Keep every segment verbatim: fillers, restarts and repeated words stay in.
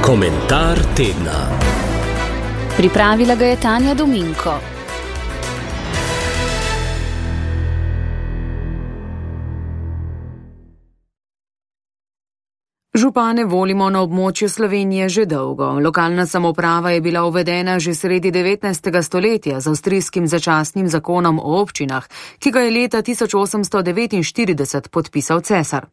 Komentar tedna. Pripravila ga je Tanja Dominko. Župane volimo na območju Slovenije že dolgo. Lokalna samouprava je bila uvedena že sredi devetnajstega stoletja z avstrijskim začasnim zakonom o občinah, ki ga je leta tisoč osemsto devetinštirideset podpisal cesar.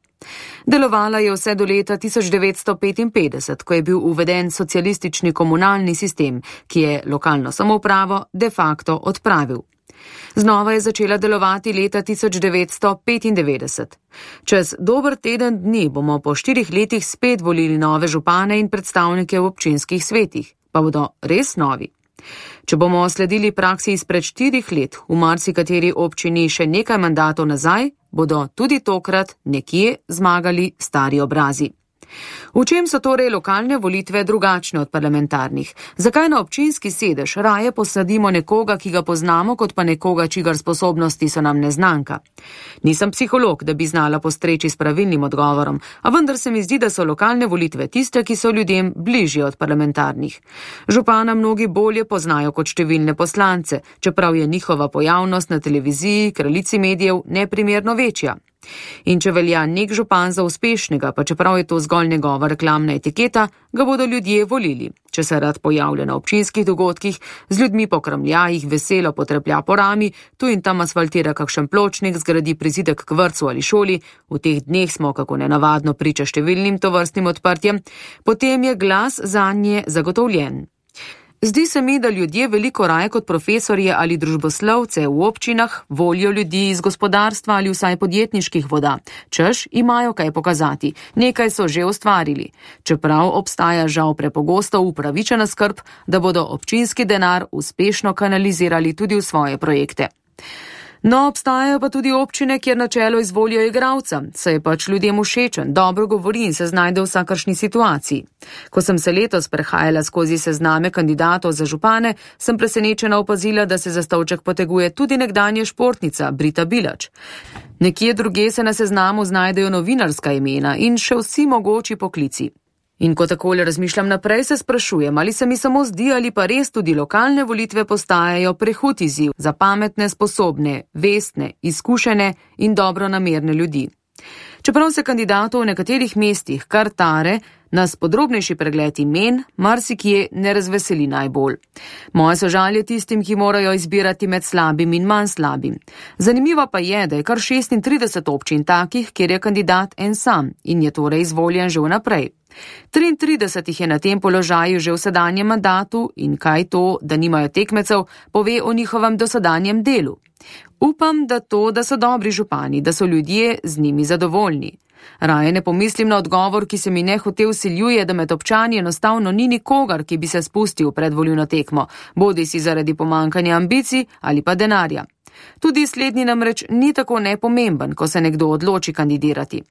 Delovala je vse do leta tisoč devetsto petinpetdeset, ko je bil uveden socialistični komunalni sistem, ki je lokalno samoupravo de facto odpravil. Znova je začela delovati leta tisoč devetsto petindevetdeset. Čez dober teden dni bomo po štirih letih spet volili nove župane in predstavnike v občinskih svetih, pa bodo res novi. Če bomo sledili praksi izpred štirih let, v marsikateri občini še nekaj mandatov nazaj, bodo tudi tokrat nekje zmagali stari obrazi. V čem so torej lokalne volitve drugačne od parlamentarnih? Zakaj na občinski sedež raje posadimo nekoga, ki ga poznamo, kot pa nekoga, čigar sposobnosti so nam neznanka? Nisem psiholog, da bi znala postreči s pravilnim odgovorom, a vendar se mi zdi, da so lokalne volitve tiste, ki so ljudem bližje od parlamentarnih. Župana mnogi bolje poznajo kot številne poslance, čeprav je njihova pojavnost na televiziji, kraljici medijev, neprimerno večja. In če velja nek župan za uspešnega, pa čeprav je to zgolj njegova reklamna etiketa, ga bodo ljudje volili. Če se rad pojavlja na občinskih dogodkih, z ljudmi po kramljajih veselo potreplja po rami, tu in tam asfaltira kakšen pločnik, zgradi prizidek k vrtcu ali šoli, v teh dneh smo kako nenavadno priča številnim tovrstnim odprtjem, potem je glas zanje zagotovljen. Zdi se mi, da ljudje veliko raje kot profesorje ali družboslovce v občinah volijo ljudi iz gospodarstva ali vsaj podjetniških voda. Češ imajo kaj pokazati, nekaj so že ustvarili, čeprav obstaja žal prepogosto upravičena skrb, da bodo občinski denar uspešno kanalizirali tudi v svoje projekte. No, obstajajo pa tudi občine, kjer na čelo izvolijo igralca, saj je pač ljudem všečen, dobro govori in se znajde v vsakršni situaciji. Ko sem se letos prehajala skozi sezname kandidatov za župane, sem presenečena opazila, da se za stolček poteguje tudi nekdanja športnica Brita Bilač. Nekje druge se na seznamu znajdejo novinarska imena in še vsi mogoči poklici. In ko takole razmišljam naprej, se sprašujem, ali se mi samo zdi, ali pa res tudi lokalne volitve postajajo prehud izziv za pametne, sposobne, vestne, izkušene in dobronamerne ljudi. Čeprav se kandidatov v nekaterih mestih kar tare, nas podrobnejši pregled imen marsikje ne razveseli najbolj. Moje sožalje tistim, ki morajo izbirati med slabim in manj slabim. Zanimivo pa je, da je kar šestintrideset občin takih, kjer je kandidat en sam in je torej izvoljen že vnaprej. triintrideset jih je na tem položaju že v sedanjem mandatu in kaj to, da nimajo tekmecev, pove o njihovem dosedanjem delu. Upam, da to, da so dobri župani, da so ljudje z njimi zadovoljni. Raje ne pomislim na odgovor, ki se mi nehote vsiljuje, da med občani enostavno ni nikogar, ki bi se spustil pred volilno tekmo, bodi si zaradi pomankanja ambicij ali pa denarja. Tudi slednji namreč ni tako nepomemben, ko se nekdo odloči kandidirati.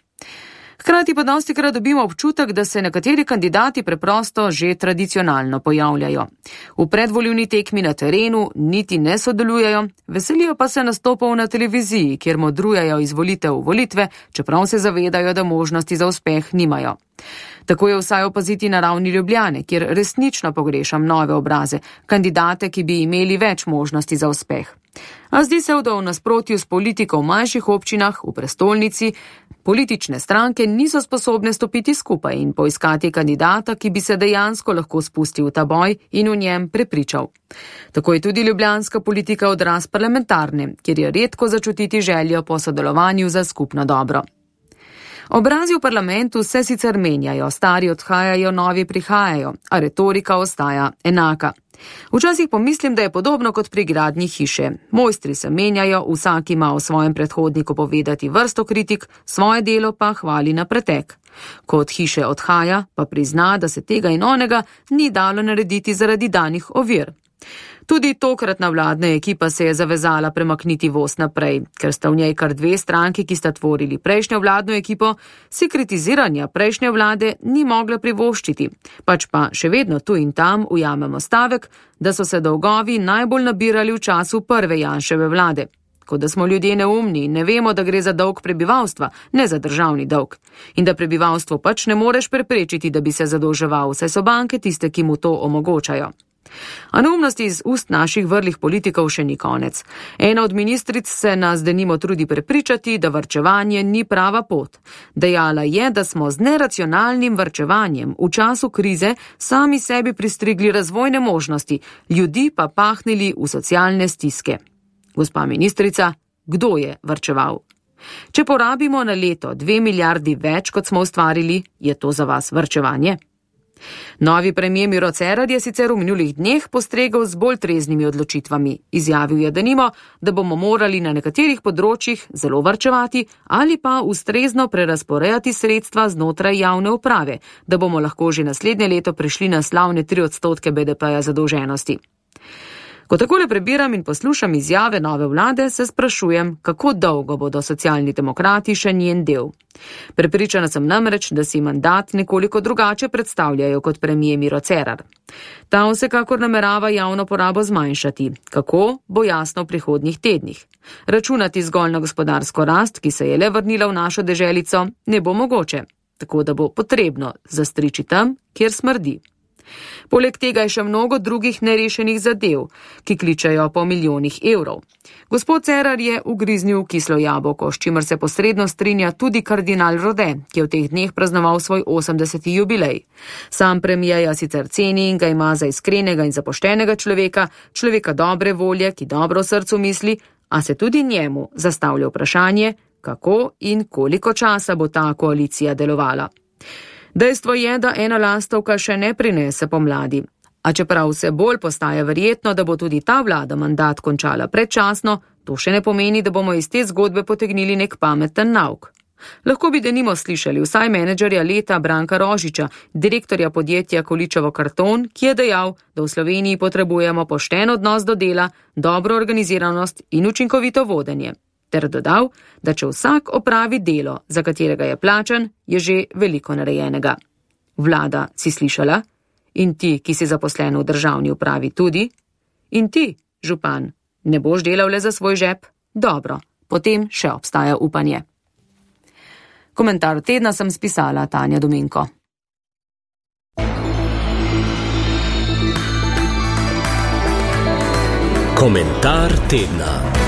Hkrati pa dostikrat dobimo občutek, da se nekateri kandidati preprosto že tradicionalno pojavljajo. V predvolilni tekmi na terenu niti ne sodelujejo, veselijo pa se nastopov na televiziji, kjer modrujejo iz volitev v volitve, čeprav se zavedajo, da možnosti za uspeh nimajo. Tako je vsaj opaziti na ravni Ljubljane, kjer resnično pogrešam nove obraze, kandidate, ki bi imeli več možnosti za uspeh. A zdi se, da v nasprotju s politiko v manjših občinah, v prestolnici, politične stranke niso sposobne stopiti skupaj in poiskati kandidata, ki bi se dejansko lahko spustil v ta boj in v njem prepričal. Tako je tudi ljubljanska politika odraz parlamentarne, kjer je redko začutiti željo po sodelovanju za skupno dobro. Obrazi v parlamentu se sicer menjajo, stari odhajajo, novi prihajajo, a retorika ostaja enaka. Včasih pomislim, da je podobno kot pri gradnji hiše. Mojstri se menjajo, vsak ima o svojem predhodniku povedati vrsto kritik, svoje delo pa hvali na pretek. Ko od hiše odhaja, pa prizna, da se tega in onega ni dalo narediti zaradi danih ovir. Tudi tokratna vladna ekipa se je zavezala premakniti voz naprej, ker sta v njej kar dve stranki, ki sta tvorili prejšnjo vladno ekipo, si kritiziranja prejšnje vlade ni mogla privoščiti, pač pa še vedno tu in tam ujamemo stavek, da so se dolgovi najbolj nabirali v času prve Janševe vlade. kot da smo ljudje neumni in ne vemo, da gre za dolg prebivalstva, ne za državni dolg. In da prebivalstvo pač ne moreš preprečiti, da bi se zadolževal, saj so banke tiste, ki mu to omogočajo. A neumnosti iz ust naših vrlih politikov še ni konec. Ena od ministric se nas denimo trudi prepričati, da varčevanje ni prava pot. Dejala je, da smo z neracionalnim varčevanjem v času krize sami sebi pristrigli razvojne možnosti, ljudi pa pahnili v socialne stiske. Gospa ministrica, kdo je varčeval? Če porabimo na leto dve milijardi več, kot smo ustvarili, je to za vas varčevanje? Novi premier Miro Cerar je sicer v minulih dneh postregel z bolj treznimi odločitvami. Izjavil je denimo, da bomo morali na nekaterih področjih zelo varčevati ali pa ustrezno prerasporejati sredstva znotraj javne uprave, da bomo lahko že naslednje leto prišli na slavne tri odstotke B D P-ja zadolženosti. Ko takole prebiram in poslušam izjave nove vlade, se sprašujem, kako dolgo bodo socialni demokrati še njen del. Prepričana sem namreč, da si mandat nekoliko drugače predstavljajo kot premier Miro Cerar. Ta vsekakor namerava javno porabo zmanjšati. Kako, bo jasno v prihodnjih tednih. Računati zgolj na gospodarsko rast, ki se je le vrnila v našo deželico, ne bo mogoče. Tako da bo potrebno zastriči tam, kjer smrdi. Poleg tega je še mnogo drugih nerešenih zadev, ki kličajo po milijonih evrov. Gospod Cerar je ugriznil kislo jabolko, s čimer se posredno strinja tudi kardinal Rode, ki je v teh dneh praznoval svoj osemdeseti jubilej. Sam premijeja sicer ceni in ga ima za iskrenega in zapoštenega človeka, človeka dobre volje, ki dobro srcu misli, a se tudi njemu zastavlja vprašanje, kako in koliko časa bo ta koalicija delovala. Dejstvo je, da ena lastovka še ne prinese pomladi. A čeprav vse bolj postaja verjetno, da bo tudi ta vlada mandat končala predčasno, to še ne pomeni, da bomo iz te zgodbe potegnili nek pameten nauk. Lahko bi denimo slišali vsaj menedžerja leta Branka Rožiča, direktorja podjetja Količevo karton, ki je dejal, da v Sloveniji potrebujemo pošten odnos do dela, dobro organiziranost in učinkovito vodenje. Ter dodal, da če vsak opravi delo, za katerega je plačan, je že veliko narejenega. Vlada, si slišala? In ti, ki si zaposlen v državni upravi tudi? In ti, župan, ne boš delal le za svoj žep? Dobro, potem še obstaja upanje. Komentar tedna sem spisala Tanja Dominko. Komentar tedna.